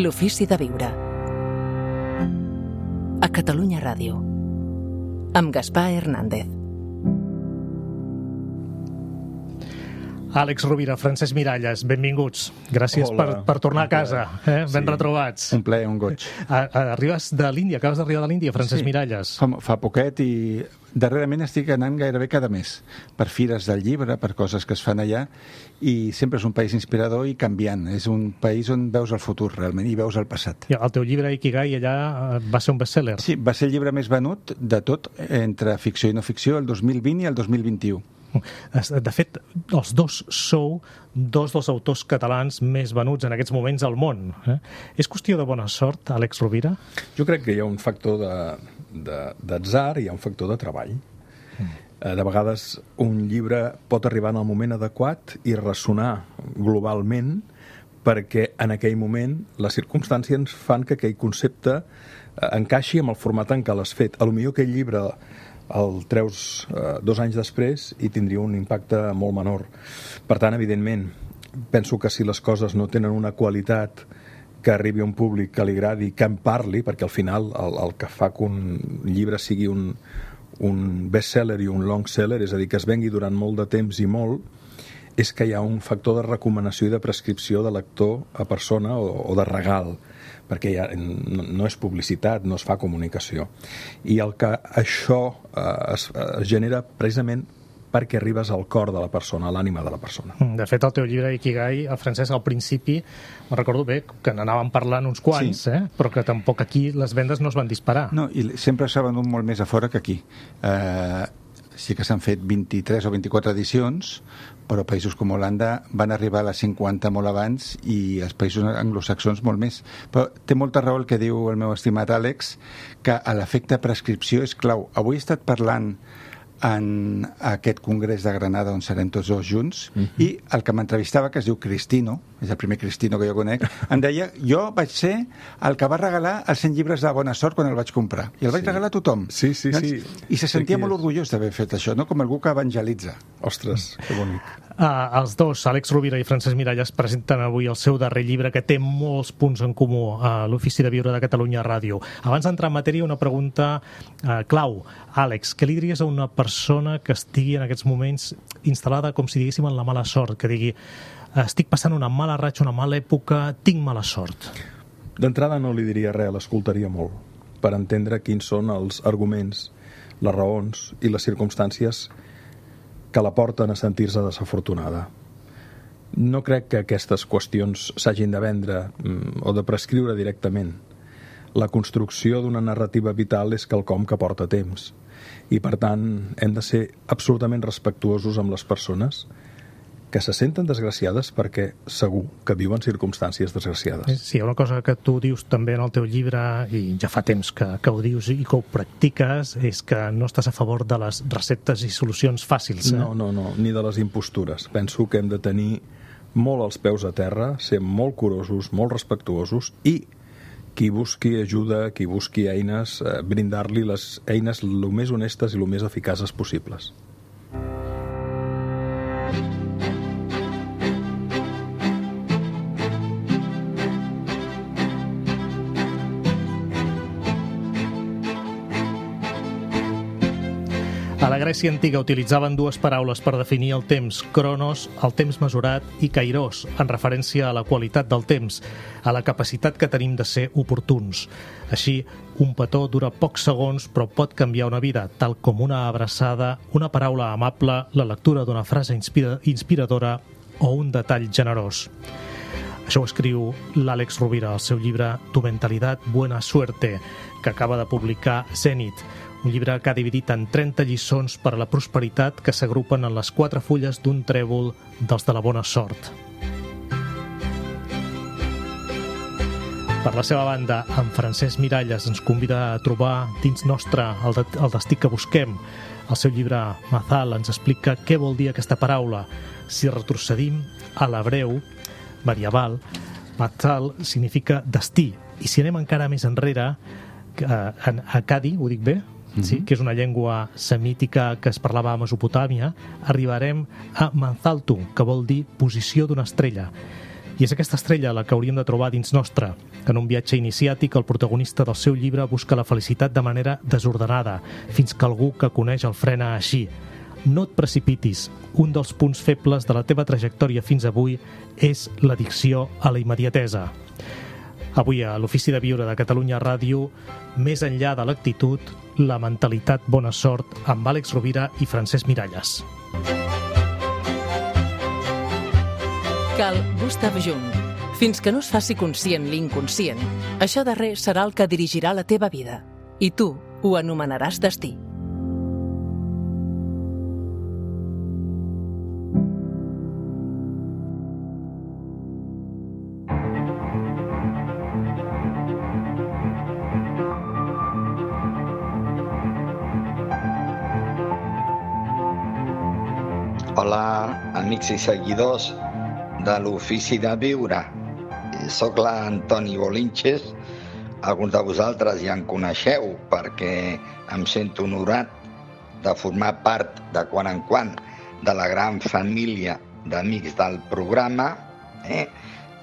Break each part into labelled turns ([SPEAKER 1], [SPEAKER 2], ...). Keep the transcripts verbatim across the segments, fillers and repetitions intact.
[SPEAKER 1] L'ofici de viure. A Catalunya Ràdio. Amb Gaspar Hernández.
[SPEAKER 2] Àlex Rovira, Francesc Miralles, benvinguts. Gràcies per, per tornar a casa. Eh? Ben sí. retrobats.
[SPEAKER 3] Un plaer, un goig.
[SPEAKER 2] A, a, arribes de l'Índia, acabes d'arribar de l'Índia, Francesc
[SPEAKER 3] sí.
[SPEAKER 2] Miralles.
[SPEAKER 3] Fa, fa poquet i darrerament estic anant gairebé cada mes per fires del llibre, per coses que es fan allà, i sempre és un país inspirador i canviant. És un país on veus el futur realment i veus el passat.
[SPEAKER 2] I el teu llibre Ikigai allà va ser un bestseller.
[SPEAKER 3] Sí, va ser el llibre més venut de tot entre ficció i no ficció el dos mil vint i el dos mil vint-i-u.
[SPEAKER 2] De fet, els dos sou dos dels autors catalans més venuts en aquests moments al món. Eh? És qüestió de bona sort, Àlex Rovira?
[SPEAKER 4] Jo crec que hi ha un factor de, de, d'atzar i hi ha un factor de treball. Mm. De vegades un llibre pot arribar en el moment adequat i ressonar globalment perquè en aquell moment les circumstàncies fan que aquell concepte encaixi amb el format en què l'has fet. A lo millor aquell llibre el treus eh, dos anys després i tindria un impacte molt menor. Per tant, evidentment, penso que si les coses no tenen una qualitat que arribi a un públic que li agradi, que en parli, perquè al final el, el que fa que un llibre sigui un, un bestseller i un long seller, és a dir, que es vengui durant molt de temps i molt, és que hi ha un factor de recomanació i de prescripció de lector a persona o, o de regal, perquè ja no és publicitat, no es fa comunicació. I el que això eh, es, es genera precisament perquè arribes al cor de la persona, a l'ànima de la persona.
[SPEAKER 2] De fet, el teu llibre Ikigai, el Francesc, al principi, me'n recordo bé que n'anàvem parlant uns quants, sí. eh? però que tampoc aquí les vendes no es van disparar.
[SPEAKER 3] No, i sempre s'ha venut molt més a fora que aquí. Eh, sí que s'han fet vint-i-tres o vint-i-quatre edicions, però països com Holanda van arribar a les cinquanta molt abans i els països anglosaxons molt més. Però té molta raó el que diu el meu estimat Àlex, que l'efecte prescripció és clau. Avui he estat parlant en aquest congrés de Granada on serem tots dos junts, uh-huh. i el que m'entrevistava, que es diu Cristino, és el primer Cristino que jo conec, em deia, jo vaig ser el que va regalar els cent llibres de Bona Sort quan el vaig comprar, i el vaig sí. regalar a tothom.
[SPEAKER 4] Sí, sí, sí.
[SPEAKER 3] I se sentia molt orgullós d'haver fet això, no? Com algú que evangelitza.
[SPEAKER 4] Ostres, que bonic.
[SPEAKER 2] Uh, els dos, Àlex Rovira i Francesc Miralles, presenten avui el seu darrer llibre que té molts punts en comú a l'Ofici de Viure de Catalunya Ràdio. Abans d'entrar en matèria, una pregunta uh, clau. Àlex, què li diries a una persona que estigui en aquests moments instal·lada, com si diguéssim, en la mala sort, que digui, estic passant una mala ratxa, una mala època, tinc mala sort?
[SPEAKER 4] D'entrada no li diria res, l'escoltaria molt, per entendre quins són els arguments, les raons i les circumstàncies que la porten a sentir-se desafortunada. No crec que aquestes qüestions s'hagin de vendre mm, o de prescriure directament. La construcció d'una narrativa vital és quelcom que porta temps i, per tant, hem de ser absolutament respectuosos amb les persones que se senten desgraciades perquè segur que viuen circumstàncies desgraciades.
[SPEAKER 2] Sí, hi ha una cosa que tu dius també en el teu llibre, i ja fa temps que, que ho dius i que ho practiques, és que no estàs a favor de les receptes i solucions fàcils. Eh?
[SPEAKER 4] No, no, no, ni de les impostures. Penso que hem de tenir molt els peus a terra, ser molt curosos, molt respectuosos, i qui busqui ajuda, qui busqui eines, eh, brindar-li les eines el més honestes i el més eficaces possibles.
[SPEAKER 2] A la Grècia antiga utilitzaven dues paraules per definir el temps, cronos, el temps mesurat, i kairos, en referència a la qualitat del temps, a la capacitat que tenim de ser oportuns. Així, un petó dura pocs segons però pot canviar una vida, tal com una abraçada, una paraula amable, la lectura d'una frase inspira- inspiradora o un detall generós. Això ho escriu l'Àlex Rovira al seu llibre Tu mentalidad, buena suerte, que acaba de publicar Zenit, un llibre que ha dividit en trenta lliçons per a la prosperitat que s'agrupen en les quatre fulles d'un trèvol dels de la bona sort. Per la seva banda, en Francesc Miralles ens convida a trobar dins nostre el, de, el destí que busquem. El seu llibre Mazal ens explica què vol dir aquesta paraula. Si retrocedim a l'hebreu medieval, Mazal significa destí. I si anem encara més enrere, a Akkadi, ho dic bé? Sí, que és una llengua semítica que es parlava a Mesopotàmia, arribarem a Manzaltu, que vol dir posició d'una estrella. I és aquesta estrella la que hauríem de trobar dins nostre. En un viatge iniciàtic, el protagonista del seu llibre busca la felicitat de manera desordenada, fins que algú que coneix el frena així. No et precipitis. Un dels punts febles de la teva trajectòria fins avui és l'addicció a la immediatesa. Avui a l'Ofici de Viure de Catalunya Ràdio, més enllà de l'actitud, la mentalitat bona sort, amb Àlex Rovira i Francesc Miralles.
[SPEAKER 1] Carl Gustav Jung. Fins que no es faci conscient l'inconscient, això darrer serà el que dirigirà la teva vida. I tu ho anomenaràs destí.
[SPEAKER 5] Hola, amics i seguidors de l'Ofici de Viure. Soc l'Antoni Bolinches. Alguns de vosaltres ja em coneixeu perquè em sento honorat de formar part de quan en quan de la gran família d'amics del programa, eh?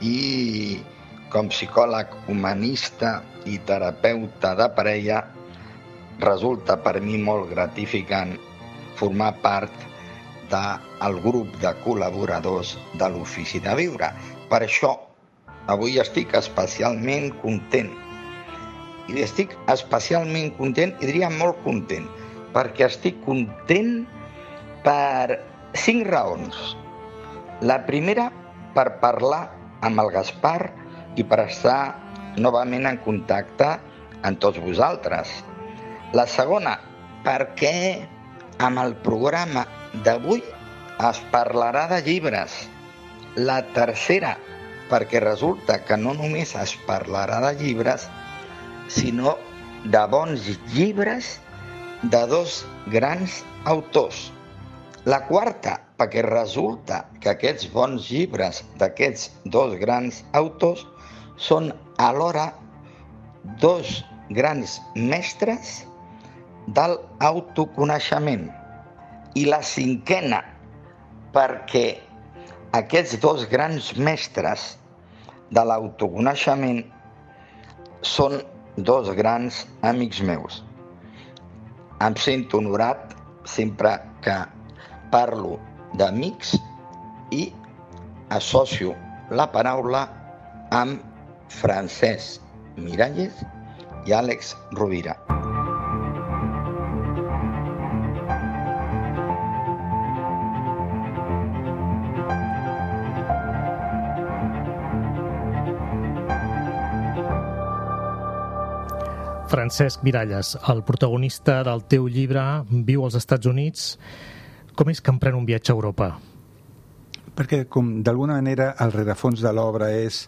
[SPEAKER 5] I com psicòleg humanista i terapeuta de parella resulta per mi molt gratificant formar part del grup de col·laboradors de l'Ofici de Viure. Per això, avui estic especialment content. I estic especialment content, i diria molt content, perquè estic content per cinc raons. La primera, per parlar amb el Gaspar i per estar novament en contacte amb tots vosaltres. La segona, perquè amb el programa d'avui es parlarà de llibres. La tercera, perquè resulta que no només es parlarà de llibres, sinó de bons llibres de dos grans autors. La quarta, perquè resulta que aquests bons llibres d'aquests dos grans autors són alhora dos grans mestres del autoconeixement. I la cinquena, perquè aquests dos grans mestres de l'autoconeixement són dos grans amics meus. Em sento honorat sempre que parlo d'amics i associo la paraula amb Francesc Miralles i Àlex Rovira.
[SPEAKER 2] Francesc Miralles, el protagonista del teu llibre, viu als Estats Units. Com és que emprèn un viatge a Europa?
[SPEAKER 3] Perquè, com d'alguna manera, el rerefons de l'obra és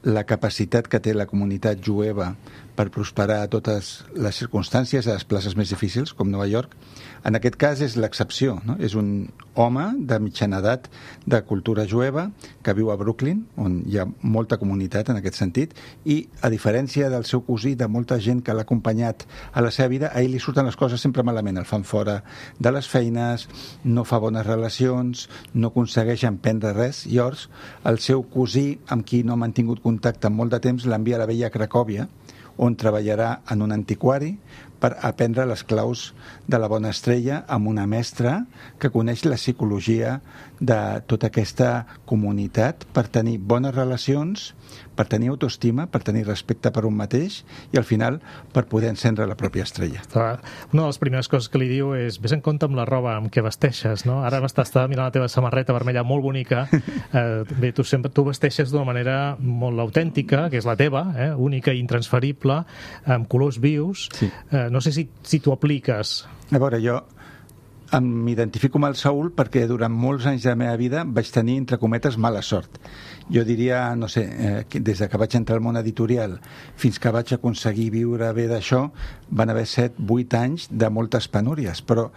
[SPEAKER 3] la capacitat que té la comunitat jueva per prosperar a totes les circumstàncies, a les places més difícils, com Nova York. En aquest cas és l'excepció, no? És un home de mitjana edat de cultura jueva que viu a Brooklyn, on hi ha molta comunitat en aquest sentit, i a diferència del seu cosí, de molta gent que l'ha acompanyat a la seva vida, a ell li surten les coses sempre malament, el fan fora de les feines, no fa bones relacions, no aconsegueix emprendre res. Llavors, el seu cosí, amb qui no ha mantingut contacte en molt de temps, l'envia a la vella Cracòvia, on treballarà en un antiquari per aprendre les claus de la bona estrella amb una mestra que coneix la psicologia de tota aquesta comunitat per tenir bones relacions, per tenir autoestima, per tenir respecte per un mateix i al final per poder encendre la pròpia estrella.
[SPEAKER 2] Una de les primeres coses que li diu és: ves en compte amb la roba amb què vesteixes, no? Ara m'estava mirant la teva samarreta vermella molt bonica. Eh, bé, tu sempre tu vesteixes d'una manera molt autèntica, que és la teva, eh? Única i intransferible, amb colors vius. Sí. Eh, no sé si, si tu apliques...
[SPEAKER 3] A veure, jo m'identifico amb el Saúl perquè durant molts anys de la meva vida vaig tenir, entre cometes, mala sort. Jo diria, no sé, eh, des de que vaig entrar al món editorial fins que vaig aconseguir viure bé d'això, van haver set, vuit anys de moltes penúries, però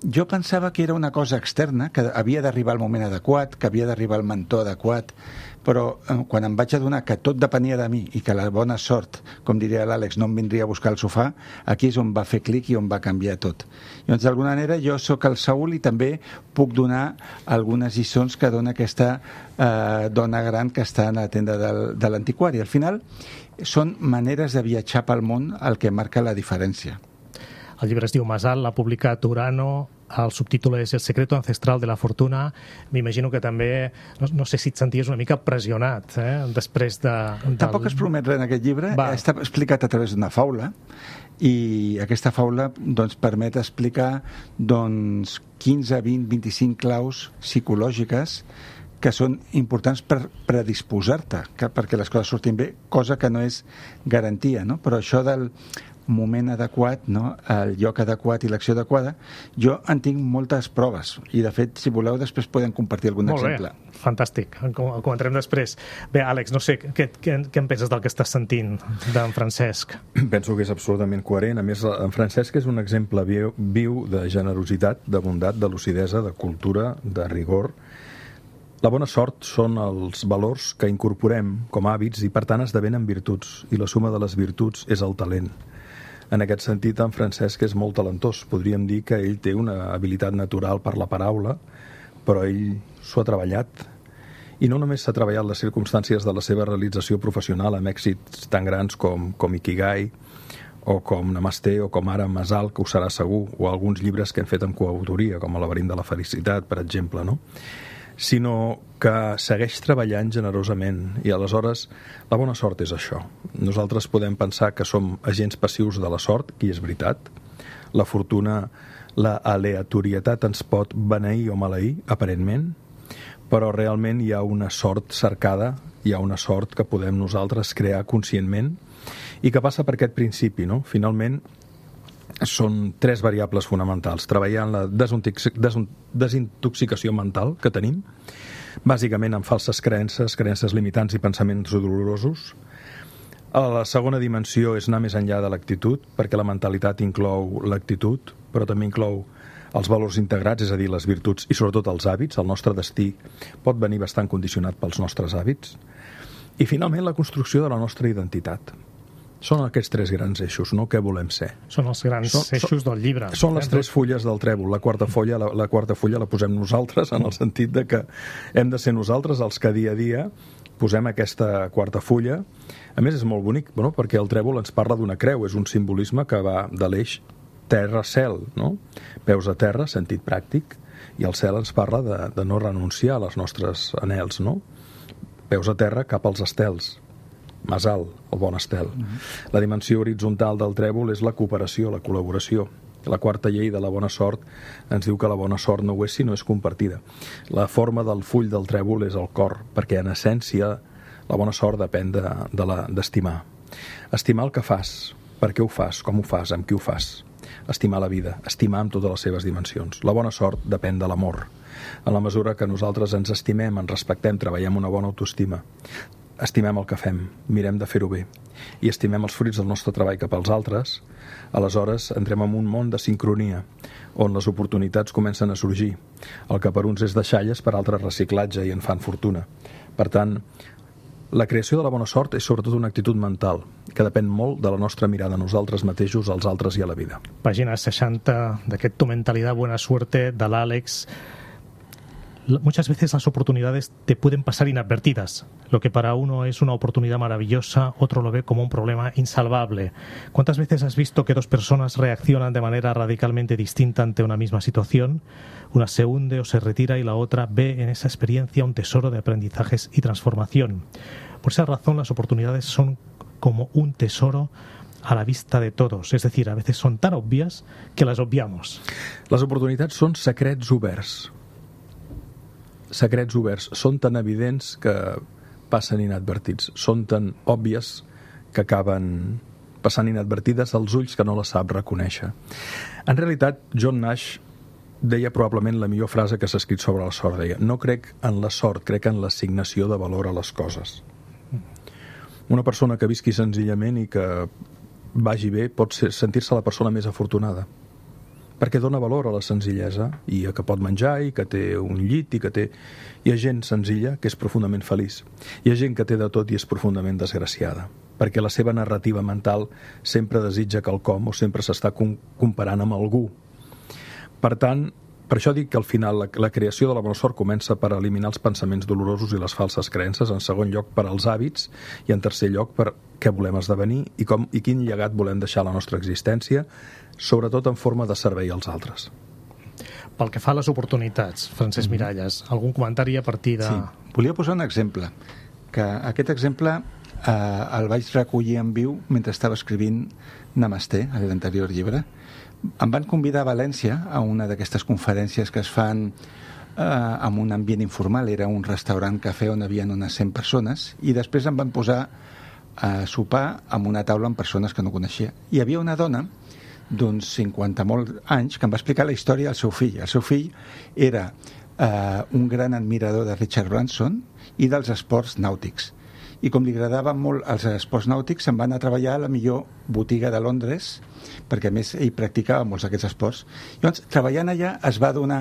[SPEAKER 3] jo pensava que era una cosa externa, que havia d'arribar el moment adequat, que havia d'arribar el mentor adequat, però eh, quan em vaig adonar que tot depenia de mi i que la bona sort, com diria l'Àlex, no em vindria a buscar el sofà, aquí és on va fer clic i on va canviar tot. Llavors, d'alguna manera, jo sóc el Saúl i també puc donar algunes lliçons que dona aquesta eh, dona gran que està a la tenda del, de l'antiquari. Al final, són maneres de viatjar pel món el que marca la diferència.
[SPEAKER 2] El llibre es diu Masal, l'ha publicat Urano, el subtítol és El secreto ancestral de la fortuna. M'imagino que també, no, no sé si et senties una mica pressionat, eh? després de... Del...
[SPEAKER 3] Tampoc es promet res en aquest llibre, Va. està explicat a través d'una faula, i aquesta faula doncs, permet explicar doncs, quinze, vint, vint-i-cinc claus psicològiques que són importants per predisposar-te perquè les coses surtin bé, cosa que no és garantia, no? Però això del moment adequat, no? El lloc adequat i l'acció adequada, jo en tinc moltes proves i de fet, si voleu, després podem compartir algun
[SPEAKER 2] Molt
[SPEAKER 3] exemple.
[SPEAKER 2] Bé. Fantàstic, el comentarem després. Bé, Àlex, no sé, què, què, què en penses del que estàs sentint d'en Francesc?
[SPEAKER 4] Penso que és absolutament coherent. A més, en Francesc és un exemple viu, viu de generositat, de bondat, de lucidesa, de cultura, de rigor. La bona sort són els valors que incorporem com a hàbits i, per tant, esdevenen virtuts. I la suma de les virtuts és el talent. En aquest sentit, en Francesc és molt talentós. Podríem dir que ell té una habilitat natural per la paraula, però ell s'ho ha treballat. I no només s'ha treballat les circumstàncies de la seva realització professional amb èxits tan grans com, com Ikigai, o com Namaste, o com ara Masal, que ho serà segur, o alguns llibres que hem fet amb coautoria, com El laberint de la felicitat, per exemple, no? Sinó que segueix treballant generosament i aleshores la bona sort és això. Nosaltres podem pensar que som agents passius de la sort, que és veritat. La fortuna, la aleatorietat ens pot beneir o maleir, aparentment, però realment hi ha una sort cercada, hi ha una sort que podem nosaltres crear conscientment i que passa per aquest principi, no? Finalment, són tres variables fonamentals. Treballar en la desintoxicació mental que tenim, bàsicament amb falses creences, creences limitants i pensaments dolorosos. La segona dimensió és anar més enllà de l'actitud, perquè la mentalitat inclou l'actitud, però també inclou els valors integrats, és a dir, les virtuts i sobretot els hàbits. El nostre destí pot venir bastant condicionat pels nostres hàbits. I finalment la construcció de la nostra identitat. Són aquests tres grans eixos, no? Què volem ser?
[SPEAKER 2] Són els grans són, eixos del llibre.
[SPEAKER 4] Són les tres fulles del trèvol. La quarta fulla la, la quarta fulla la posem nosaltres, en el sentit de que hem de ser nosaltres els que dia a dia posem aquesta quarta fulla. A més, és molt bonic, bueno, perquè el trèvol ens parla d'una creu, és un simbolisme que va de l'eix terra-cel, no? Peus a terra, sentit pràctic, i el cel ens parla de, de no renunciar a les nostres anhels, no? Peus a terra cap als estels. Masal, el bon estel. La dimensió horitzontal del trèvol és la cooperació, la col·laboració. La quarta llei de la bona sort ens diu que la bona sort no ho és si no és compartida. La forma del full del trèvol és el cor, perquè en essència la bona sort depèn de, de la, d'estimar. Estimar el que fas, per què ho fas, com ho fas, amb qui ho fas. Estimar la vida, estimar amb totes les seves dimensions. La bona sort depèn de l'amor. En la mesura que nosaltres ens estimem, ens respectem, treballem una bona autoestima, estimem el que fem, mirem de fer-ho bé i estimem els fruits del nostre treball cap als altres, aleshores entrem en un món de sincronia on les oportunitats comencen a sorgir. El que per uns és deixalles, per altres reciclatge i en fan fortuna. Per tant, la creació de la bona sort és sobretot una actitud mental que depèn molt de la nostra mirada a nosaltres mateixos, als altres i a la vida.
[SPEAKER 2] Pàgina seixanta d'aquest Tu mentalidad buena suerte de l'Àlex. Muchas veces las oportunidades te pueden pasar inadvertidas. Lo que para uno es una oportunidad maravillosa, otro lo ve como un problema insalvable. ¿Cuántas veces has visto que dos personas reaccionan de manera radicalmente distinta ante una misma situación? Una se hunde o se retira y la otra ve en esa experiencia un tesoro de aprendizajes y transformación. Por esa razón, las oportunidades son como un tesoro a la vista de todos. Es decir, a veces son tan obvias que las obviamos.
[SPEAKER 4] Les oportunitats són secrets oberts. Secrets oberts són tan evidents que passen inadvertits, són tan òbvies que acaben passant inadvertides als ulls que no les sap reconèixer. En realitat, John Nash deia probablement la millor frase que s'ha escrit sobre la sort. Deia, no crec en la sort, crec en l'assignació de valor a les coses. Una persona que visqui senzillament i que vagi bé pot ser, sentir-se la persona més afortunada, perquè dona valor a la senzillesa i a que pot menjar i que té un llit i que té... Hi ha gent senzilla que és profundament feliç. Hi ha gent que té de tot i és profundament desgraciada, perquè la seva narrativa mental sempre desitja quelcom o sempre s'està com- comparant amb algú. Per tant, per això dic que al final la, la creació de la bona sort comença per eliminar els pensaments dolorosos i les falses creences, en segon lloc per als hàbits i en tercer lloc per què volem esdevenir i, com, i quin llegat volem deixar a la nostra existència, sobretot en forma de servei als altres.
[SPEAKER 2] Pel que fa a les oportunitats, Francesc Miralles, algun comentari a partir de...
[SPEAKER 3] Sí, volia posar un exemple, que aquest exemple eh, el vaig recollir en viu mentre estava escrivint Namasté, a l'anterior llibre. Em van convidar a València a una d'aquestes conferències que es fan eh, en un ambient informal. Era un restaurant-cafè on hi havia unes cent persones i després em van posar a sopar amb una taula amb persones que no coneixia. Hi havia una dona d'uns cinquanta molts anys que em va explicar la història del seu fill. El seu fill era eh, un gran admirador de Richard Branson i dels esports nàutics. I com li agradaven molt els esports nàutics, se'n va anar a treballar a la millor botiga de Londres, perquè a més ell practicava molts d'aquests esports. Llavors, treballant allà es va adonar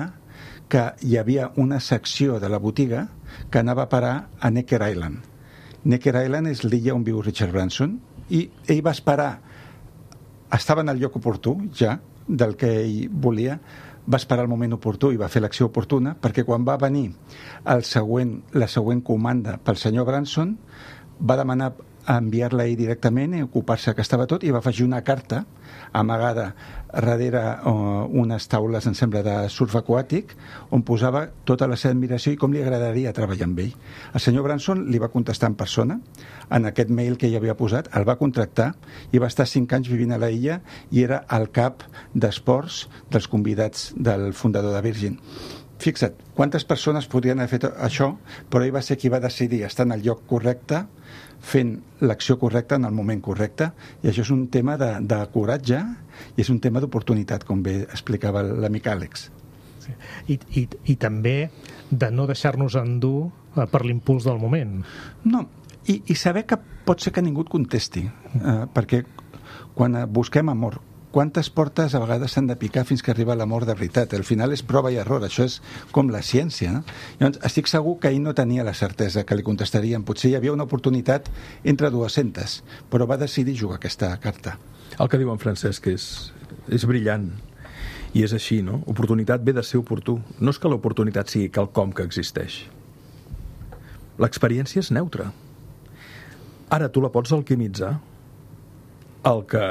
[SPEAKER 3] que hi havia una secció de la botiga que anava a parar a Necker Island. Necker Island és l'illa on viu Richard Branson i ell va esperar, estava en el lloc oportú ja del que ell volia, va esperar el moment oportú i va fer l'acció oportuna, perquè quan va venir el següent, la següent comanda pel senyor Branson, va demanar a enviar-la ell directament i ocupar-se que estava tot, i va afegir una carta amagada darrere uh, unes taules, em sembla, de surf aquàtic, on posava tota la seva admiració i com li agradaria treballar amb ell. El senyor Branson li va contestar en persona en aquest mail que ell havia posat, el va contractar i va estar cinc anys vivint a la illa i era el cap d'esports dels convidats del fundador de Virgin. Fixa't, quantes persones podrien haver fet això, però ell va ser qui va decidir estar en el lloc correcte, fent l'acció correcta en el moment correcte, i això és un tema de, de coratge i és un tema d'oportunitat, com bé explicava l'amic Àlex.
[SPEAKER 2] Sí. I, i, I també de no deixar-nos endur per l'impuls del moment.
[SPEAKER 3] No, i, i saber que pot ser que ningú et contesti, eh, perquè quan busquem amor, quantes portes a vegades s'han de picar fins que arriba l'amor de veritat? Al final és prova i error, això és com la ciència, no? Llavors, estic segur que ell no tenia la certesa que li contestarien. Potser hi havia una oportunitat entre dues-centes, però va decidir jugar aquesta carta.
[SPEAKER 4] El que diu en Francesc és, és brillant, i és així, no? Oportunitat ve de ser oportú. No és que l'oportunitat sigui quelcom que existeix. L'experiència és neutra. Ara tu la pots alquimitzar. El que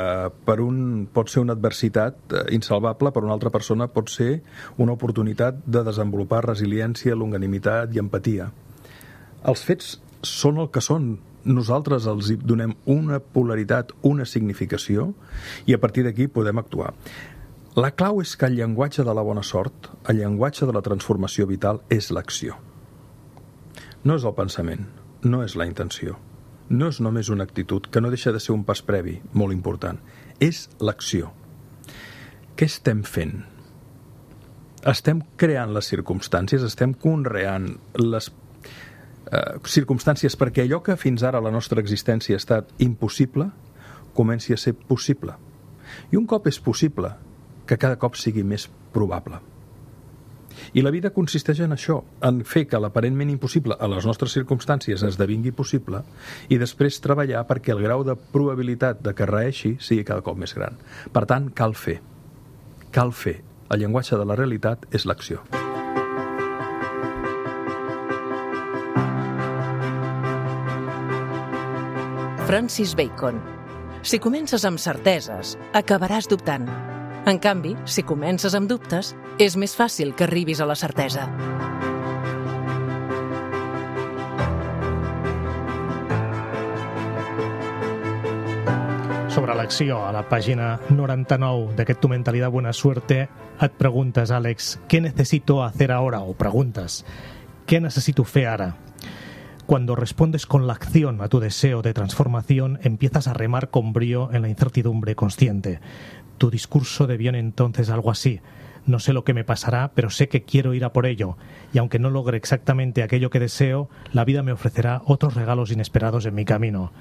[SPEAKER 4] per un pot ser una adversitat insalvable, per una altra persona pot ser una oportunitat de desenvolupar resiliència, longanimitat i empatia. Els fets són el que són. Nosaltres els donem una polaritat, una significació, i a partir d'aquí podem actuar. La clau és que el llenguatge de la bona sort, el llenguatge de la transformació vital, és l'acció. No és el pensament, no és la intenció. No és només una actitud, que no deixa de ser un pas previ, molt important. És l'acció. Què estem fent? Estem creant les circumstàncies, estem conreant les eh, circumstàncies perquè allò que fins ara la nostra existència ha estat impossible, comenci a ser possible. I un cop és possible, que cada cop sigui més probable. I la vida consisteix en això, en fer que l'aparentment impossible a les nostres circumstàncies esdevingui possible i després treballar perquè el grau de probabilitat de que reeixi sigui cada cop més gran. Per tant, cal fer. Cal fer. El llenguatge de la realitat és l'acció.
[SPEAKER 1] Francis Bacon. Si comences amb certeses, acabaràs dubtant. En canvi, si comences amb dubtes, és més fàcil que arribis a la certesa.
[SPEAKER 2] Sobre l'acció, a la pàgina noranta-nou d'aquest Tu mentalidad buena suerte, et preguntes, Àlex, ¿qué necesito hacer ahora? O preguntes, ¿qué necesito fer ara? Cuando respondes con la acción a tu deseo de transformación, empiezas a remar con brío en la incertidumbre consciente. Tu discurso deviene entonces algo así. No sé lo que me pasará, pero sé que quiero ir a por ello. Y aunque no logre exactamente aquello que deseo, la vida me ofrecerá otros regalos inesperados en mi camino.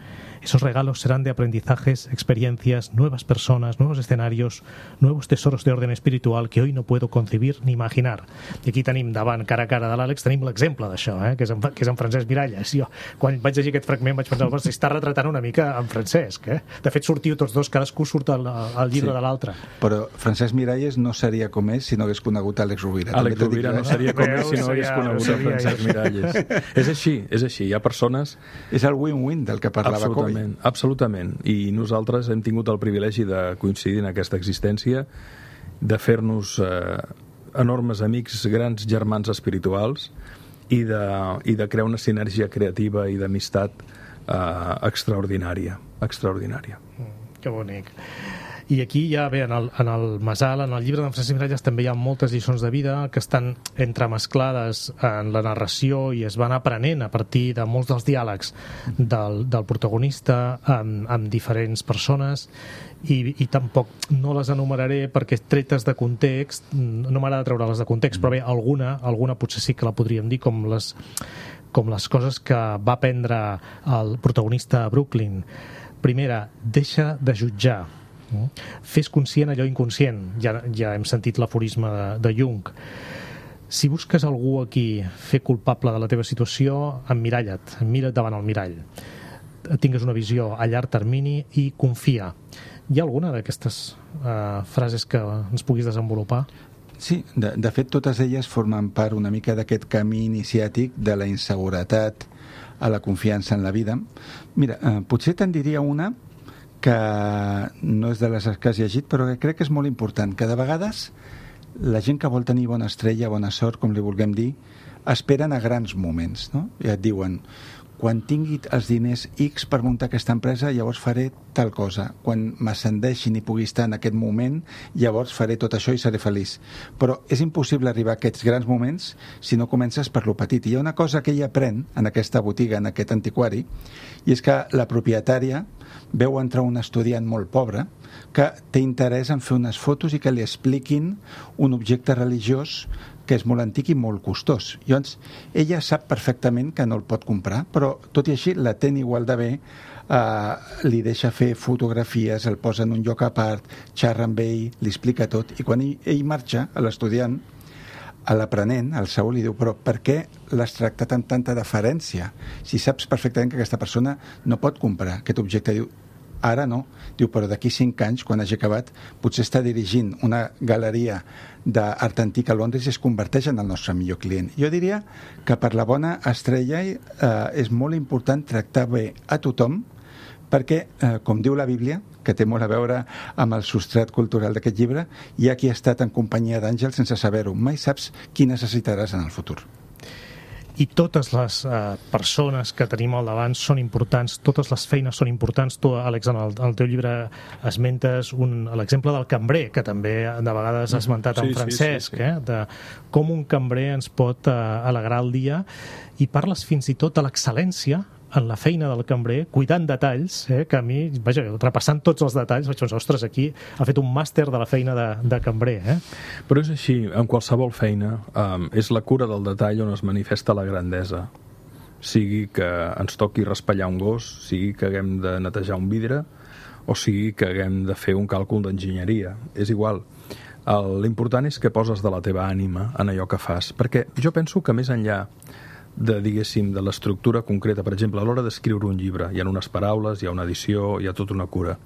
[SPEAKER 2] Esos regalos serán de aprendizajes, experiencias, nuevas personas, nuevos escenarios, nuevos tesoros de orden espiritual que hoy no puedo concebir ni imaginar. I aquí tenim davant, cara a cara de l'Àlex, tenim l'exemple d'això, eh? que, és en, que és en Francesc Miralles. Jo, quan vaig llegir aquest fragment, vaig pensar, si està retratant una mica en Francesc. Eh? De fet, sortiu tots dos, cadascú surt al, al llibre sí. de l'altre.
[SPEAKER 3] Però Francesc Miralles no seria com és si no hagués conegut Àlex Rovira.
[SPEAKER 4] Àlex Rovira no seria com és si no hagués conegut a Francesc Miralles. És així, és així. Hi ha persones...
[SPEAKER 3] És el win-win del que parlava Coll.
[SPEAKER 4] Absolutament, absolutament. I nosaltres hem tingut el privilegi de coincidir en aquesta existència, de fer-nos eh, enormes amics, grans germans espirituals i de, i de crear una sinergia creativa i d'amistat eh, extraordinària. extraordinària.
[SPEAKER 2] Mm, que bonic. I aquí ja bé, en el, en el Masal, en el llibre d'en Francesc Miralles també hi ha moltes lliçons de vida que estan entremesclades en la narració i es van aprenent a partir de molts dels diàlegs del, del protagonista amb, amb diferents persones i, i tampoc no les enumeraré perquè tretes de context, no m'agrada treure-les de context, però bé, alguna, alguna potser sí que la podríem dir com les, com les coses que va aprendre el protagonista a Brooklyn. Primera, deixa de jutjar. Fes conscient allò inconscient. Ja, ja hem sentit l'aforisme de, de Jung. Si busques algú aquí fer culpable de la teva situació, emmiralla't, mira't davant el mirall. Tingues una visió a llarg termini i confia. Hi ha alguna d'aquestes uh, frases que ens puguis desenvolupar?
[SPEAKER 3] Sí, de, de fet totes elles formen part una mica d'aquest camí iniciàtic de la inseguretat a la confiança en la vida. Mira, eh, potser te'n diria una que no és de les que has llegit, però que crec que és molt important, que de vegades la gent que vol tenir bona estrella, bona sort, com li vulguem dir, esperen a grans moments, no? I et diuen, quan tingui els diners X per muntar aquesta empresa, llavors faré tal cosa. Quan m'ascendeixin i pugui estar en aquest moment, llavors faré tot això i seré feliç. Però és impossible arribar a aquests grans moments si no comences per lo petit. I hi ha una cosa que ella aprèn en aquesta botiga, en aquest antiquari, i és que la propietària veu entrar un estudiant molt pobre que té interès en fer unes fotos i que li expliquin un objecte religiós que és molt antic i molt costós. Llavors, ella sap perfectament que no el pot comprar, però tot i així l'atén igual de bé, eh, li deixa fer fotografies, el posa en un lloc a part, xerra amb ell, li explica tot, i quan ell, ell marxa, a l'estudiant, a l'aprenent, al Saúl, li diu, però per què l'has tractat amb tanta deferència? Si saps perfectament que aquesta persona no pot comprar aquest objecte. Diu, ara no. Diu, però d'aquí cinc anys, quan hagi acabat, potser està dirigint una galeria d'art antic a Londres i es converteix en el nostre millor client. Jo diria que per la bona estrella eh, és molt important tractar bé a tothom, perquè, eh, com diu la Bíblia, que té molt a veure amb el substrat cultural d'aquest llibre, hi ha qui ha estat en companyia d'àngels sense saber-ho. Mai saps qui necessitaràs en el futur.
[SPEAKER 2] I totes les uh, persones que tenim al davant són importants, totes les feines són importants. Tu, Àlex, en el, en el teu llibre esmentes un, l'exemple del cambrer, que també de vegades ha esmentat sí, en Francesc, sí, sí, sí. Eh, de com un cambrer ens pot uh, alegrar el dia, i parles fins i tot de l'excel·lència en la feina del cambrer, cuidant detalls, eh, que a mi, vaja, repassant tots els detalls, vaig pensar, ostres, aquí ha fet un màster de la feina de, de cambrer. Eh?
[SPEAKER 4] Però és així, en qualsevol feina, um, és la cura del detall on es manifesta la grandesa. Sigui que ens toqui raspallar un gos, sigui que haguem de netejar un vidre, o sigui que haguem de fer un càlcul d'enginyeria. És igual. L'important és que poses de la teva ànima en allò que fas, perquè jo penso que més enllà de, diguéssim, de l'estructura concreta. Per exemple, a l'hora d'escriure un llibre hi ha unes paraules, hi ha una edició, hi ha tota una cura.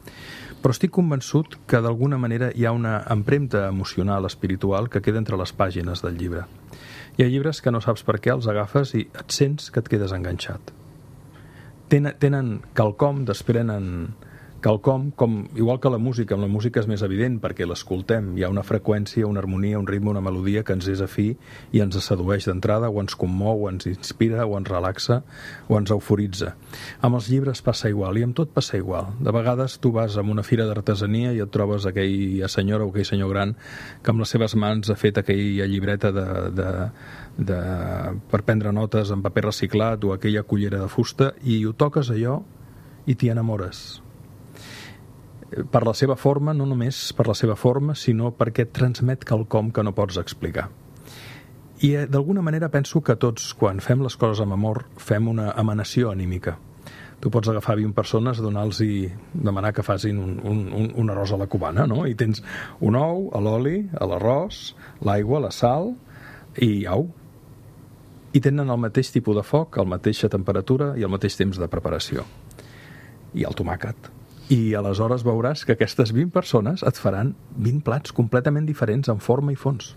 [SPEAKER 4] Però estic convençut que d'alguna manera hi ha una empremta emocional, espiritual, que queda entre les pàgines del llibre. Hi ha llibres que no saps per què els agafes i et sents que et quedes enganxat. Tenen, tenen quelcom, desprenen quelcom, com, igual que la música. Amb la música és més evident perquè l'escoltem. Hi ha una freqüència, una harmonia, un ritme, una melodia que ens és afí i ens sedueix d'entrada, o ens commou, o ens inspira, o ens relaxa, o ens euforitza. Amb els llibres passa igual, i amb tot passa igual. De vegades tu vas a una fira d'artesania i et trobes aquella senyora o aquell senyor gran que amb les seves mans ha fet aquella llibreta de, de, de, per prendre notes en paper reciclat, o aquella cullera de fusta, i ho toques allò i t'hi enamores. Per la seva forma, no només per la seva forma, sinó perquè et transmet quelcom que no pots explicar. I d'alguna manera penso que tots, quan fem les coses amb amor, fem una emanació anímica. Tu pots agafar vint persones, donar-los i demanar que facin un, un, un arròs a la cubana, no? I tens un ou, l'oli, l'arròs, l'aigua, la sal i au. I tenen el mateix tipus de foc, la mateixa temperatura i el mateix temps de preparació. I el tomàquet. I aleshores veuràs que aquestes vint persones et faran vint plats completament diferents en forma i fons.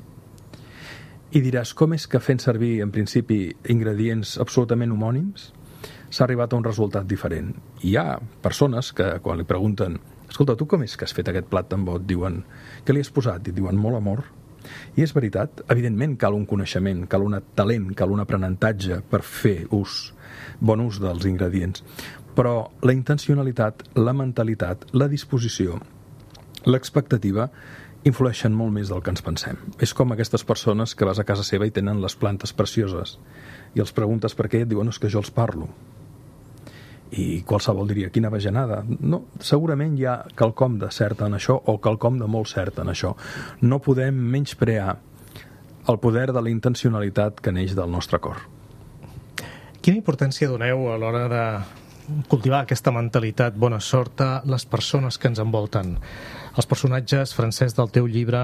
[SPEAKER 4] I diràs, com és que fent servir, en principi, ingredients absolutament homònims, s'ha arribat a un resultat diferent? I hi ha persones que, quan li pregunten, escolta, tu com és que has fet aquest plat tan bo? Et diuen, què li has posat? I et diuen, molt amor. I és veritat, evidentment cal un coneixement, cal un talent, cal un aprenentatge per fer ús, bon ús dels ingredients. Però la intencionalitat, la mentalitat, la disposició, l'expectativa influeixen molt més del que ens pensem. És com aquestes persones que vas a casa seva i tenen les plantes precioses i els preguntes per què i et diuen, no, és que jo els parlo. I qualsevol diria, quina bajanada. No, segurament hi ha quelcom de cert en això o quelcom de molt cert en això. No podem menysprear el poder de la intencionalitat que neix del nostre cor.
[SPEAKER 2] Quina importància doneu a l'hora de cultivar aquesta mentalitat bona sort a les persones que ens envolten? Els personatges, Francesc, del teu llibre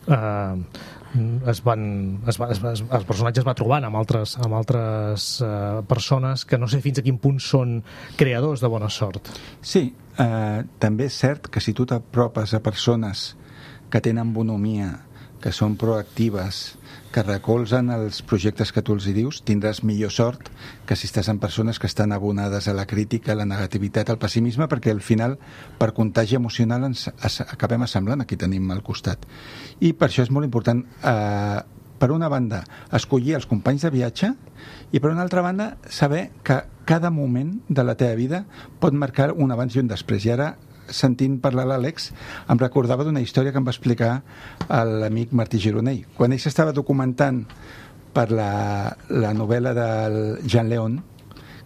[SPEAKER 2] eh, es van, es va, es va, el personatge es va trobant amb altres, amb altres eh, persones que no sé fins a quin punt són creadors de bona sort.
[SPEAKER 3] Sí, eh, també és cert que si tu t'apropes a persones que tenen bonomia, que són proactives, que recolzen els projectes que tu els hi dius, tindràs millor sort que si estàs amb persones que estan abonades a la crítica, a la negativitat, al pessimisme, perquè al final, per contagi emocional, ens acabem assemblant a qui tenim al costat. I per això és molt important, eh, per una banda, escollir els companys de viatge i per una altra banda, saber que cada moment de la teva vida pot marcar un abans i un després. I ara, sentint parlar l'Àlex, em recordava d'una història que em va explicar l'amic Martí Gironell. Quan ell s'estava documentant per la, la novel·la del Jean León,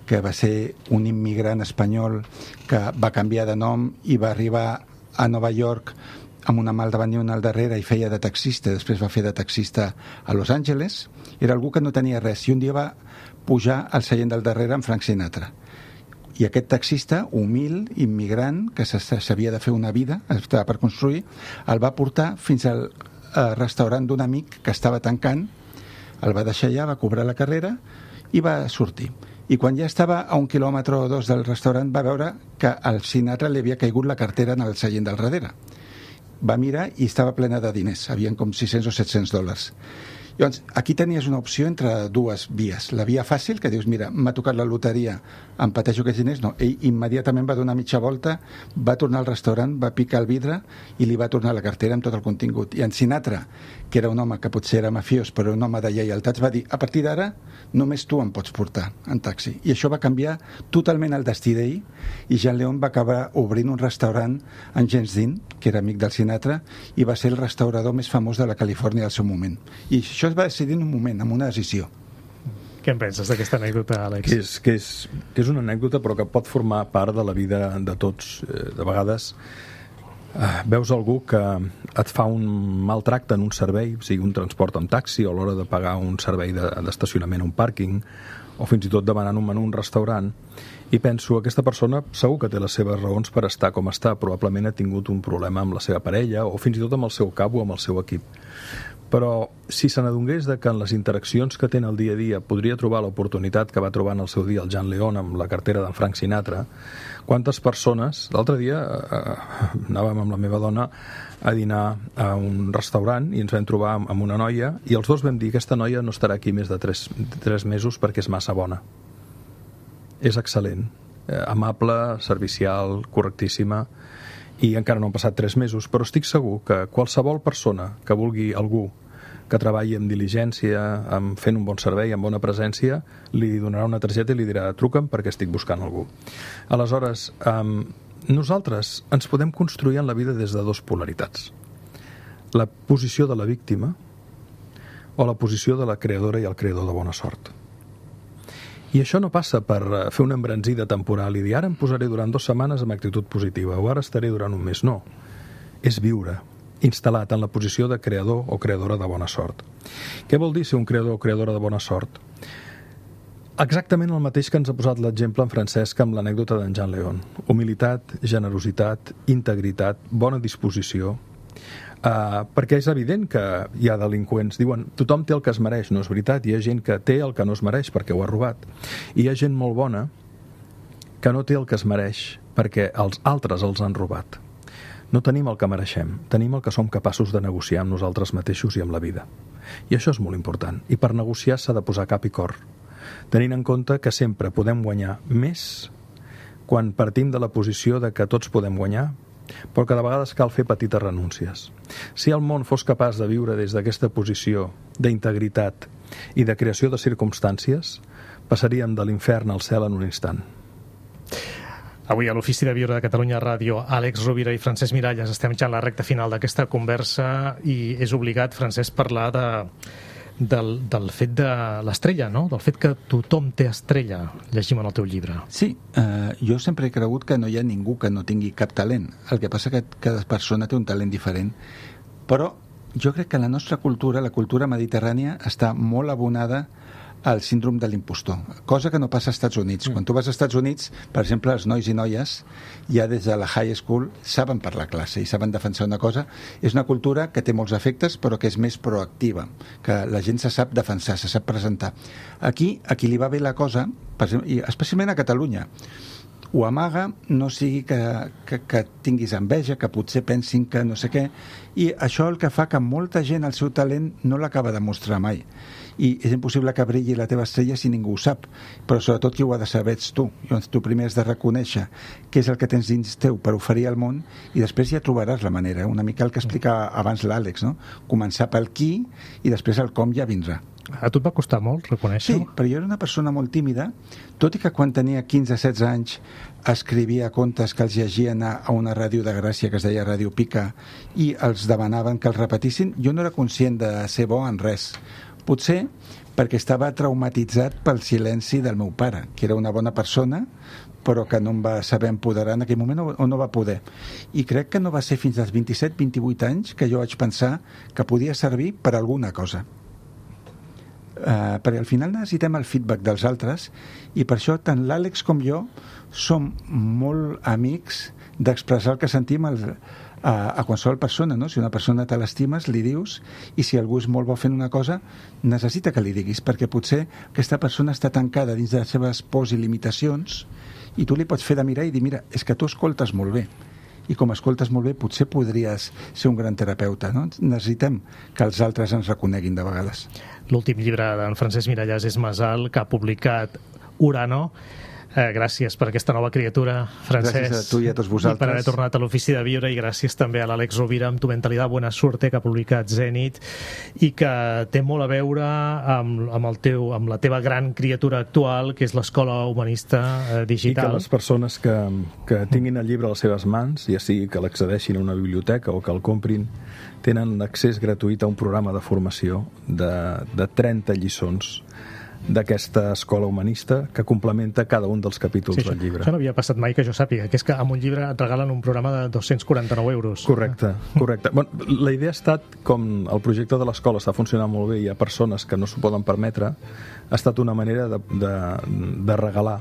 [SPEAKER 3] que va ser un immigrant espanyol que va canviar de nom i va arribar a Nova York amb una mà al davant i una al darrere i feia de taxista, després va fer de taxista a Los Angeles, era algú que no tenia res i un dia va pujar al seient del darrere amb Frank Sinatra. I aquest taxista, humil, immigrant, que s'havia de fer una vida, estava per construir, el va portar fins al restaurant d'un amic que estava tancant, el va deixar allà, va cobrar la carrera i va sortir. I quan ja estava a un quilòmetre o dos del restaurant va veure que al Sinatra li havia caigut la cartera en el seient del darrere. Va mirar i estava plena de diners, havien com sis-cents o set-cents dòlars. Llavors, aquí tenies una opció entre dues vies. La via fàcil, que dius, mira, m'ha tocat la loteria, em pateixo aquests diners. No, ell immediatament va donar mitja volta, va tornar al restaurant, va picar el vidre i li va tornar la cartera amb tot el contingut. I en Sinatra, que era un home que potser era mafiós, però un home de lleialtats, va dir, a partir d'ara només tu em pots portar en taxi. I això va canviar totalment el destí d'ell i Jean León va acabar obrint un restaurant en James Dean, que era amic del Sinatra, i va ser el restaurador més famós de la Califòrnia al seu moment. I això es va decidir en un moment, amb una decisió.
[SPEAKER 2] Què en penses d'aquesta anècdota, Àlex?
[SPEAKER 4] Que és, que, és, que és una anècdota però que pot formar part de la vida de tots. De vegades eh, veus algú que et fa un mal tracte en un servei, sigui un transport en taxi o a l'hora de pagar un servei d'estacionament a un pàrquing o fins i tot demanant un menú a un restaurant, i penso, aquesta persona segur que té les seves raons per estar com està, probablement ha tingut un problema amb la seva parella o fins i tot amb el seu cap o amb el seu equip. Però si se n'adonés de que en les interaccions que té en el dia a dia podria trobar l'oportunitat que va trobar en el seu dia el Jean León amb la cartera d'en Frank Sinatra, quantes persones... L'altre dia eh, anàvem amb la meva dona a dinar a un restaurant i ens vam trobar amb una noia i els dos vam dir, aquesta noia no estarà aquí més de tres, tres mesos perquè és massa bona. És excel·lent, eh, amable, servicial, correctíssima, i encara no han passat tres mesos, però estic segur que qualsevol persona que vulgui algú que treballi amb diligència, amb fent un bon servei, amb bona presència, li donarà una targeta i li dirà, truca'm perquè estic buscant algú. Aleshores, um, nosaltres ens podem construir en la vida des de dues polaritats. La posició de la víctima o la posició de la creadora i el creador de bona sort. I això no passa per fer una embranzida temporal i dir ara em posaré durant dues setmanes amb actitud positiva o ara estaré durant un mes. No. És viure, instal·lat en la posició de creador o creadora de bona sort. Què vol dir ser un creador o creadora de bona sort? Exactament el mateix que ens ha posat l'exemple en Francesc amb l'anècdota d'en Jean León. Humilitat, generositat, integritat, bona disposició, uh, perquè és evident que hi ha delinqüents. Diuen, tothom té el que es mereix, no és veritat. Hi ha gent que té el que no es mereix perquè ho ha robat. I hi ha gent molt bona que no té el que es mereix perquè els altres els han robat. No tenim el que mereixem, tenim el que som capaços de negociar amb nosaltres mateixos i amb la vida. I això és molt important. I per negociar s'ha de posar cap i cor, tenint en compte que sempre podem guanyar més quan partim de la posició de que tots podem guanyar, però que de vegades cal fer petites renúncies. Si el món fos capaç de viure des d'aquesta posició d'integritat i de creació de circumstàncies, passaríem de l'infern al cel en un instant.
[SPEAKER 2] Avui a l'Ofici de Viure de Catalunya Ràdio, Àlex Rovira i Francesc Miralles, estem ja en la recta final d'aquesta conversa i és obligat, Francesc, parlar de, del, del fet de l'estrella, no? Del fet que tothom té estrella, llegim en el teu llibre.
[SPEAKER 3] Sí, eh, jo sempre he cregut que no hi ha ningú que no tingui cap talent. El que passa que cada persona té un talent diferent. Però jo crec que la nostra cultura, la cultura mediterrània, està molt abonada al síndrom de l'impostor, cosa que no passa als Estats Units. Mm. Quan tu vas als Estats Units, per exemple, els nois i noies ja des de la high school saben parlar classe i saben defensar una cosa. És una cultura que té molts efectes però que és més proactiva, que la gent se sap defensar, se sap presentar. Aquí, a qui li va bé la cosa, per exemple, i especialment a Catalunya, ho amaga, no sigui que, que, que tinguis enveja, que potser pensin que no sé què, i això el que fa que molta gent el seu talent no l'acaba de mostrar mai. I és impossible que brilli la teva estrella si ningú ho sap, però sobretot qui ho ha de saber ets tu. Llavors tu primer has de reconèixer què és el que tens dins teu per oferir al món i després ja trobaràs la manera, una mica el que explicava abans l'Àlex, no? Començar pel qui i després el com ja vindrà.
[SPEAKER 2] A tu et va costar molt reconèixer-ho?
[SPEAKER 3] Sí, però jo era una persona molt tímida, tot i que quan tenia quinze setze anys escrivia contes que els llegien a una ràdio de Gràcia que es deia Ràdio Pica i els demanaven que els repetissin. Jo no era conscient de ser bo en res. Potser perquè estava traumatitzat pel silenci del meu pare, que era una bona persona, però que no em va saber empoderar en aquell moment o no va poder. I crec que no va ser fins als vint-i-set vint-i-vuit anys que jo vaig pensar que podia servir per alguna cosa. Uh, perquè al final necessitem el feedback dels altres i per això tant l'Àlex com jo som molt amics d'expressar el que sentim al, a, a qualsevol persona, no? Si una persona te l'estimes, li dius, i si algú és molt bo fent una cosa, necessita que li diguis, perquè potser aquesta persona està tancada dins de les seves pors i limitacions i tu li pots fer de mirar i dir, mira, és que tu escoltes molt bé i com escoltes molt bé potser podries ser un gran terapeuta, no? Necessitem que els altres ens reconeguin de vegades.
[SPEAKER 2] L'últim llibre d'en Francesc Miralles és Masal, que ha publicat Urano. Eh, gràcies per aquesta nova criatura, Francesc.
[SPEAKER 3] Gràcies a tu i a tots vosaltres.
[SPEAKER 2] I per haver tornat a l'Ofici de Viure, i gràcies també a l'Àlex Rovira amb Tu Mentalidad Buena Suerte, que ha publicat Zenit, i que té molt a veure amb, amb, el teu, amb la teva gran criatura actual, que és l'Escola Humanista eh, Digital.
[SPEAKER 4] I que les persones que, que tinguin el llibre a les seves mans, ja sigui que l'accedeixin a una biblioteca o que el comprin, tenen accés gratuït a un programa de formació de, de trenta lliçons d'aquesta escola humanista que complementa cada un dels capítols sí, del llibre.
[SPEAKER 2] Això no havia passat mai que jo sàpiga, que és que amb un llibre et regalen un programa de dos-cents quaranta-nou euros.
[SPEAKER 4] Correcte, correcte. Bueno, la idea ha estat, com el projecte de l'escola està funcionant molt bé i hi ha persones que no s'ho poden permetre, ha estat una manera de, de, de regalar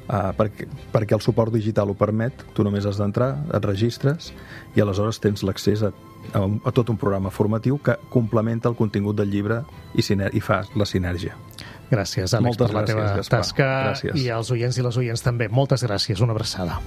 [SPEAKER 4] Uh, perquè, perquè el suport digital ho permet, tu només has d'entrar, et registres i aleshores tens l'accés a, a, a tot un programa formatiu que complementa el contingut del llibre i, i fa la sinergia.
[SPEAKER 2] Gràcies, Àlex,
[SPEAKER 4] Moltes
[SPEAKER 2] per la
[SPEAKER 4] gràcies,
[SPEAKER 2] teva
[SPEAKER 4] Gaspar.
[SPEAKER 2] tasca
[SPEAKER 4] Gràcies.
[SPEAKER 2] I als oients i les oients també. Moltes gràcies, una abraçada.